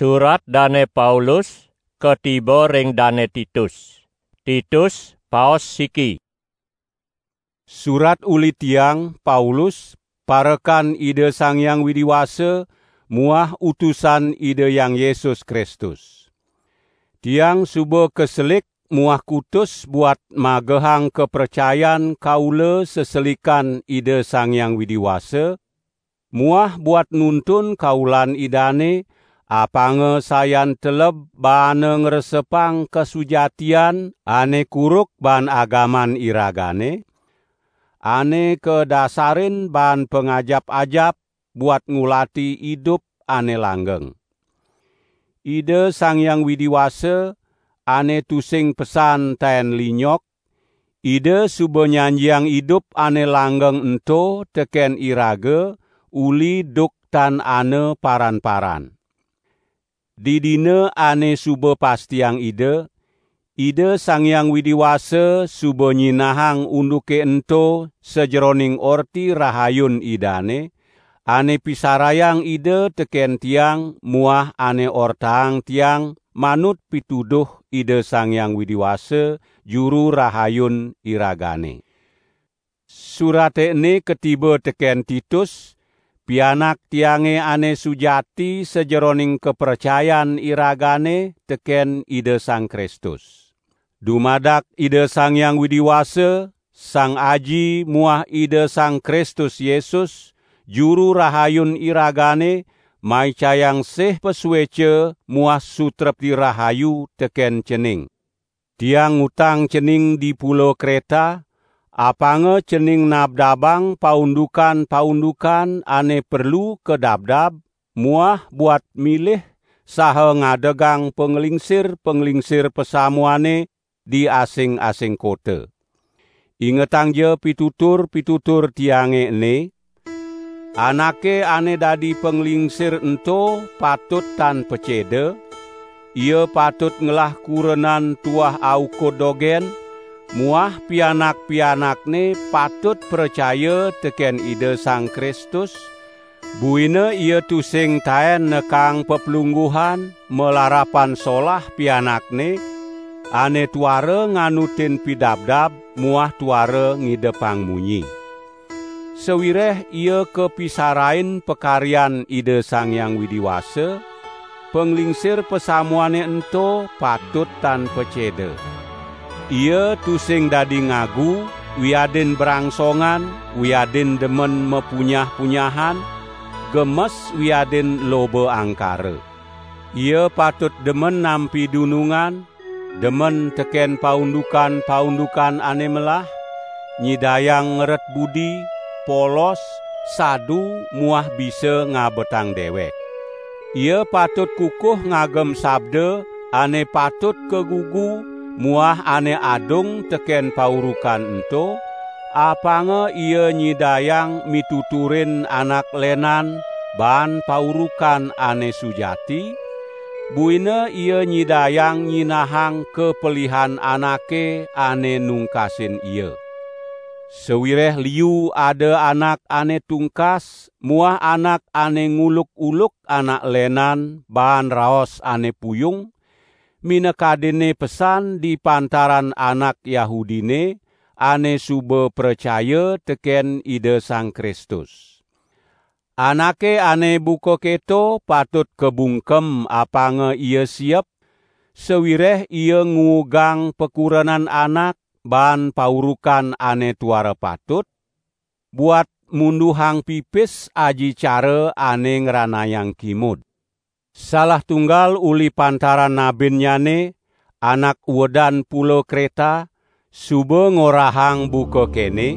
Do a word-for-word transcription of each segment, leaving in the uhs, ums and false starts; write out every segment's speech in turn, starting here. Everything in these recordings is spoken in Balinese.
Surat Dane Paulus katiba ring Dane Titus. Titus, paos siki. Surat uli tiang, Paulus, parekan Ida Sang Hyang Widi Wasa muah utusan Ida Hyang Yesus Kristus. Tiang suba kaselik muah kutus buat magehang kapracayan kaula seselikan Ida Sang Hyang Widi Wasa, muah buat nuntun kaulan Idane, apanga sayan teleb baana ngresepang kasujatian ane kuruk baan agaman iragane, ane kadasarin baan pangajap-ajap buat ngulati idup ane langgeng. Ida Sang Hyang Widi Wasa, ane tusing pesan taen linyok, Ida suba nyanjiang idup ane langgeng ento teken iraga uli duk tan ana paran-paran. Didina ane suba pastiang Ida, Ida Sang Hyang Widi Wasa suba nyinahang unduke ento sajeroning Orti Rahayun Idane, ane pisarayang Ida teken tiang muah ane ortaang tiang manut pituduh Ida Sang Hyang Widi Wasa, Juru Rahayun iragane. Surate ene katiba teken Titus, pianak tiange ane sujati sajeroning kapracayan iragane teken Ida Sang Kristus. Dumadak Ida Sang Hyang Widi Wasa, Sang Aji muah Ida Sang Kristus Yesus, Juru Rahayun iragane, maicayang sih pasueca muah sutrepti rahayu teken cening. Tiang ngutang cening di Pulo Kreta, apanga cening nabdabang paundukan-paundukan ane perlu kadabdab, muah buat milih saha ngadegang panglingsir-panglingsir pasamuane di asing-asing kota. Ingetangja pitutur-pitutur tiange ene, anake ane dadi panglingsir ento patut tan paceda, ia patut ngelah kurenan tuah aukud dogen, muah pianak-pianakne patut pracaya teken Ida Sang Kristus, buina ia tusing taen nekang peplungguhan malarapan solah pianakne, ane tuara nganutin pidabdab muah tuara ngidepang munyi. Sawireh ia kapisarain pakaryan Ida Sang Hyang Widi Wasa, panglingsir pasamuane ento patut tan paceda. Ia tusing dadi ngagu, wiadin brangsongan, wiadin demen mapunyah-punyahan, gemes wiadin loba angkara. Ia patut demen nampi dunungan, demen teken paundukan-paundukan ane melah, nyidayang ngeret budi, polos, sadu, muah bisa ngabetang dewek. Ia patut kukuh ngagem sabda ane patut kagugu muah ane adung teken paurukan ento, apanga ia nyidayang mituturin anak lenan baan paurukan ane sujati, buina ia nyidayang nyinahang kapelihan anake ane nungkasin ia. Sawireh liu ada anak ane tungkas muah anak ane nguluk-uluk anak lenan baan raos ane puyung, minakadinne pesan di pantaran anak Yahudine ane suba pracaya teken Ida Sang Kristus. Anake ane buka keto patut kabungkem apanga ia siep, sawireh ia nguugang pakurenan anak baan paurukan ane tuara patut, buat munduhang pipis aji cara ane ngranayang kimud. Salah tunggal uli pantaran nabinnyane, anak uedan Pulo Kreta, suba ngorahang buka kene,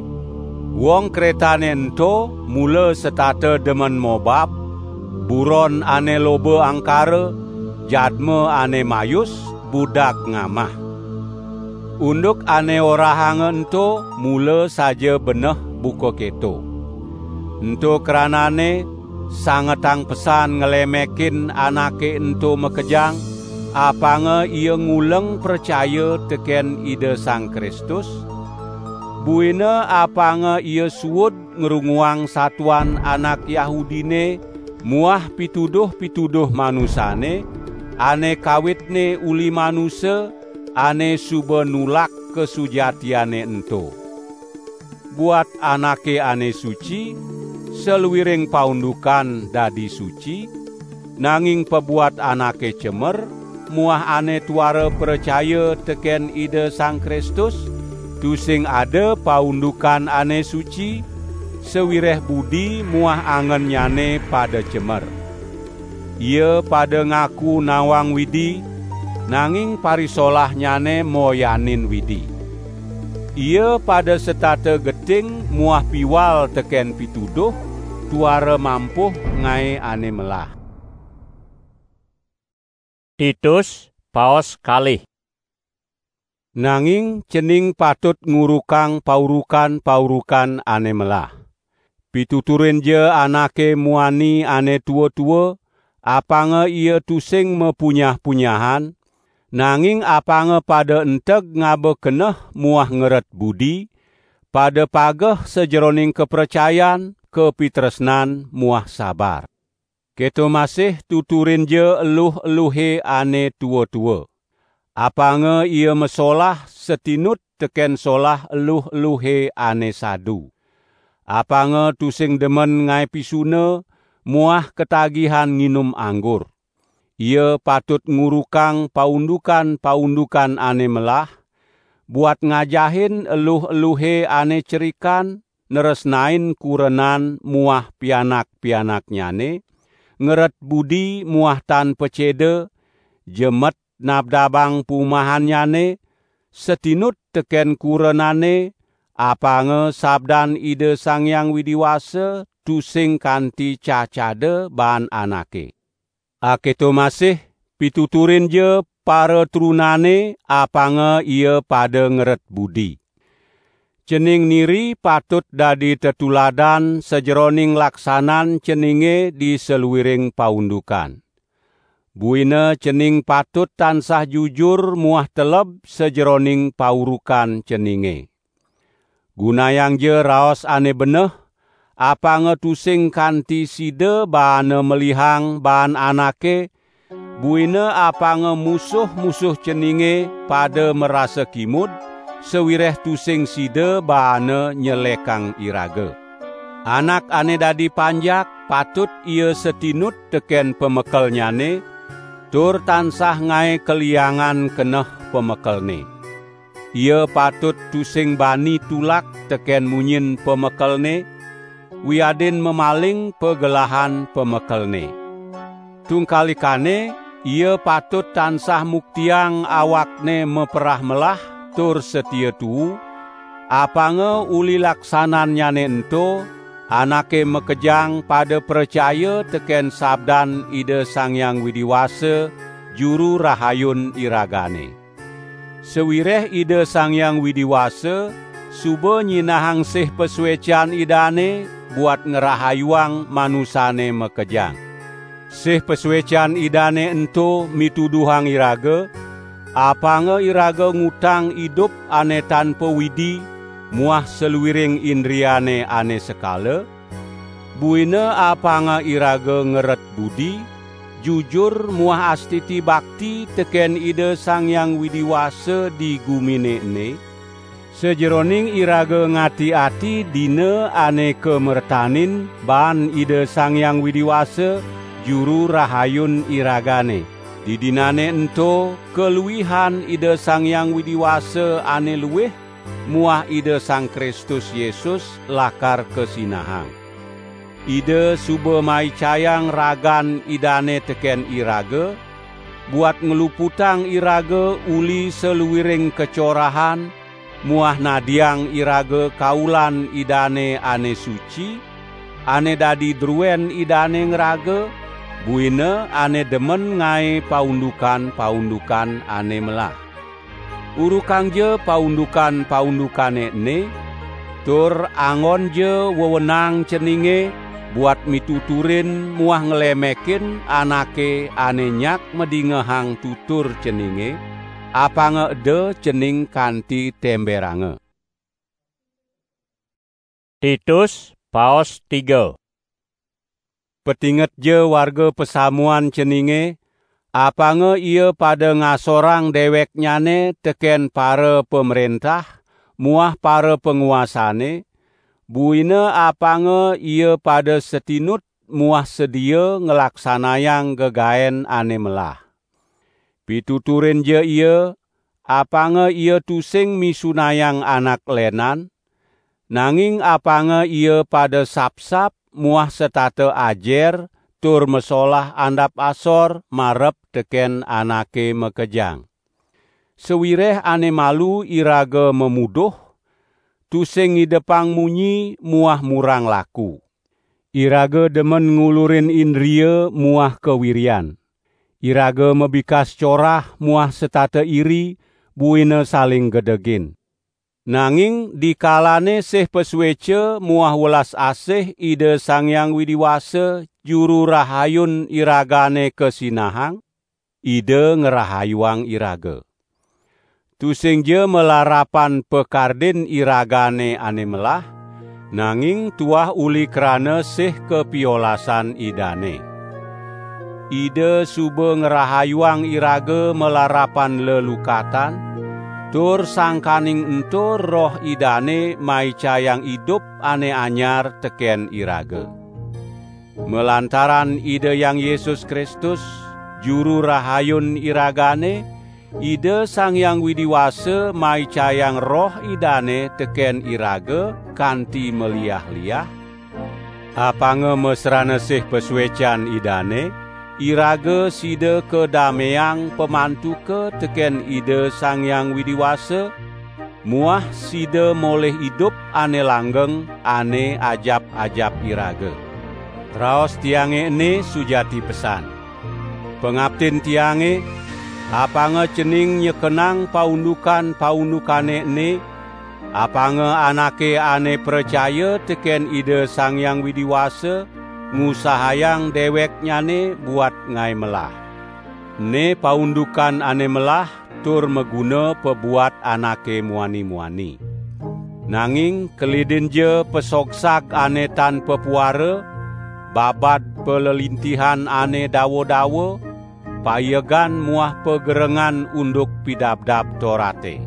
wong Kretane ento mula setata demen mobab, buron ane loba angkara, jadma ane mayus, budak ngamah. Unduk ane orahanga ento mula saja beneh buka keto. Ento kranane, sangetang pesan nglemekin anake ento makejang, apanga ia nguleng pracaya teken Ida Sang Kristus, buina apanga ia suud ngrunguang satuan anak Yahudine muah pituduh-pituduh manusane, ane kawitne uli manusa, ane suba nulak kasujatiane ento. Buat anake ane suci, saluiring paundukan dadi suci, nanging pabuat anake cemer, muah ane tuara pracaya teken Ida Sang Kristus, tusing ada paundukan ane suci, sawireh budi muah angennyane pada cemer. Ia pada ngaku nawang Widi, nanging parisolahnyane moyanin Widi. Ia pada setata geting muah piwal teken pituduh, tuara mampuh ngae ane melah. Titus, paos kalih. Nanging cening patut ngurukang paurukan-paurukan ane melah. Pituturinja anake muani ane tua-tua, apanga ia tusing mapunyah-punyahan, nanging apanga pada enteg ngaba keneh muah ngeret budi, pada pageh sajeroning kapracayan, kapitresnan, muah sabar. Keto masih tuturinja eluh-eluhe ane tua-tua. Apanga ia masolah satinut teken solah eluh-eluhe ane sadu. Apanga tusing demen ngae pisuna muah katagihan nginum anggur. Ia patut ngurukang paundukan-paundukan ane melah, buat ngajahin eluh-eluhe ane cerikan, nresnain kurenan muah pianak-pianaknyane, ngeret budi muah tan paceda, jemet nabdabang pumahannyane, satinut teken kurenane, apanga sabdan Ida Sang Hyang Widi Wasa tusing kanti cacada baan anake. Aketo masih, pituturinja paratrunane, apanga ia pada ngeret budi. Cening niri patut dadi tetuladan sajeroning laksanan ceninge di saluiring paundukan. Buina cening patut tansah jujur muah teleb sajeroning paurukan ceninge. Gunayangja raos ane beneh, apanga tusing kanti sida baana melihang baan anake, buina apanga musuh-musuh ceninge pada marasa kimud, sawireh tusing sida baana nyelekang iraga. Anak ane dadi panjak patut ia satinut teken pamekelnyane, tur tansah ngae kaliangan keneh pamekelne. Ia patut tusing bani tulak teken munyin pamekelne, wiadin mamaling pagelahan pamekelne. Tungkalikane, ia patut tansah muktiang awakne maperah melah tur satia tuu, apanga uli laksanannyane ento, anake makejang pada pracaya teken sabdan Ida Sang Hyang Widi Wasa, Juru Rahayun iragane. Sawireh Ida Sang Hyang Widi Wasa suba nyinahang sih pasuecan Idane buat ngrahayuang manusane makejang. Sih pasuecan Idane ento mituduhang iraga, apanga iraga ngutang idup ane tanpa Widi muah saluiring indriane ane sekala, buina apanga iraga ngeret budi, jujur muah astiti bakti teken Ida Sang Hyang Widi Wasa di gumine ene, sajeroning iraga ngati-ati dina ane kamertanin baan Ida Sang Hyang Widi Wasa, Juru Rahayun iragane. Didinane ento kaluihan Ida Sang Hyang Widi Wasa ane luih, muah Ida Sang Kristus Yesus lakar kasinahang. Ida suba maicayang ragan Idane teken iraga, buat ngluputang iraga uli saluiring kacorahan, muah nadiang iraga kaulan Idane ane suci, ane dadi druen Idane ngraga, buina ane demen ngae paundukan-paundukan ane melah. Urukangja paundukan-paundukane ene, tur anggonja wewenang ceninge buat mituturin muah nglemekin anake ane nyak madingehang tutur ceninge, apanga eda cening kanti temberanga. Titus, paos tiga. Petingetja warga pasamuan ceninge, apanga ia pada ngasorang deweknyane teken para pamrentah muah para panguasane, buina apanga ia pada satinut muah sedia nglaksanayang gegaen ane melah. Pituturinja ia, apanga ia tusing misunayang anak lenan, nanging apanga ia pada sapsap muah setata ajer tur masolah andap asor marep teken anake makejang. Sawireh ane malu iraga mamuduh, tusing ngidepang munyi muah murang laku. Iraga demen ngulurin indria muah kawirian. Iraga mabikas corah muah setata iri, buina saling gedegin. Nanging dikalane sih pasueca muah welas asih Ida Sang Hyang Widi Wasa, Juru Rahayun iragane kasinahang, Ida ngrahayuang iraga. Tusingja malarapan pakardin iragane ane melah, nanging tuah uli krana sih kapiolasan Idane. Ida suba ngrahayuang iraga malarapan lelukatan, tur sangkaning ento Roh Idane maicayang idup ane anyar teken iraga. Malantaran Ida Hyang Yesus Kristus, Juru Rahayun iragane, Ida Sang Hyang Widi Wasa maicayang Roh Idane teken iraga kanti maliah-liah. Apanga masrana sih pasuecan Idane, iraga sida kadameang pamantuka teken Ida Sang Hyang Widi Wasa, muah sida molih idup ane langgeng, ane ajap-ajap iraga. Raos tiange ene sujati pesan. Pangaptin tiange, apanga cening nyekenang paundukan-paundukane ene, apanga anake ane pracaya teken Ida Sang Hyang Widi Wasa ngusahayang deweknyane buat ngae melah. Ene paundukan ane melah tur maguna pabuat anake muani-muani. Nanging kelidinja pasogsag ane tan papuara, babad palelintihan ane dawa-dawa, paiegan muah pagerengan unduk Pidabdab Torate.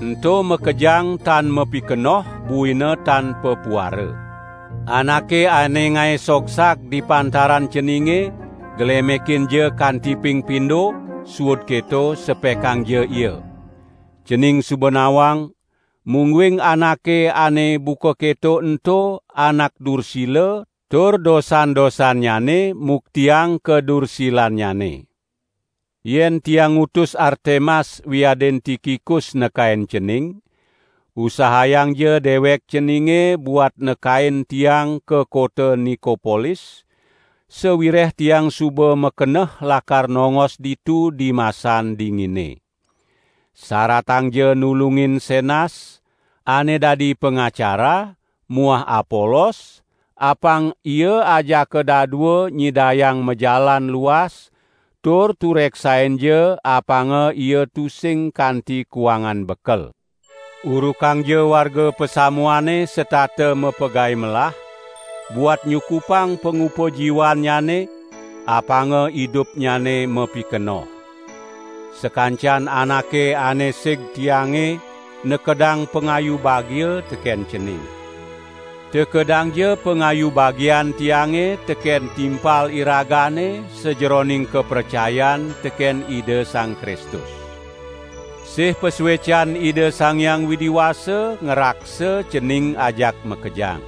Ento makejang tan mapikenoh, buina tan papuara. Anake ane ngae sogsag di pantaran ceninge, glemekinja kanti ping pindo, suud keto sepekangja ia. Cening suba nawang, mungguing anake ane buka keto ento anak dursila, tur dosan-dosannyane muktiang kadursilannyane. Yen tiang ngutus Artemas wiadin Tikikus nekain cening, usahayangja dewek ceninge buat nekain tiang ka kota Nikopolis, sawireh tiang suba makeneh lakar nongos ditu dimasan dingine. Saratangja nulungin Senas, ane dadi pangacara, muah Apolos, apang ia ajaka dadua nyidayang majalan luas, tur tureksainja apanga ia tusing kanti kuangan bekel. Urukangja warga pasamuane setata mapegai melah, buat nyukupang pangupa jiwannyane, apanga idupnyane mapikenoh. Sakancan anake ane sig tiange nekedang pangayu bagia teken cening. Tekedangja pangayu bagian tiange teken timpal iragane sajeroning kapracayan teken Ida Sang Kristus. Sih pasuecan Ida Sang Hyang Widi Wasa ngraksa cening ajak makejang.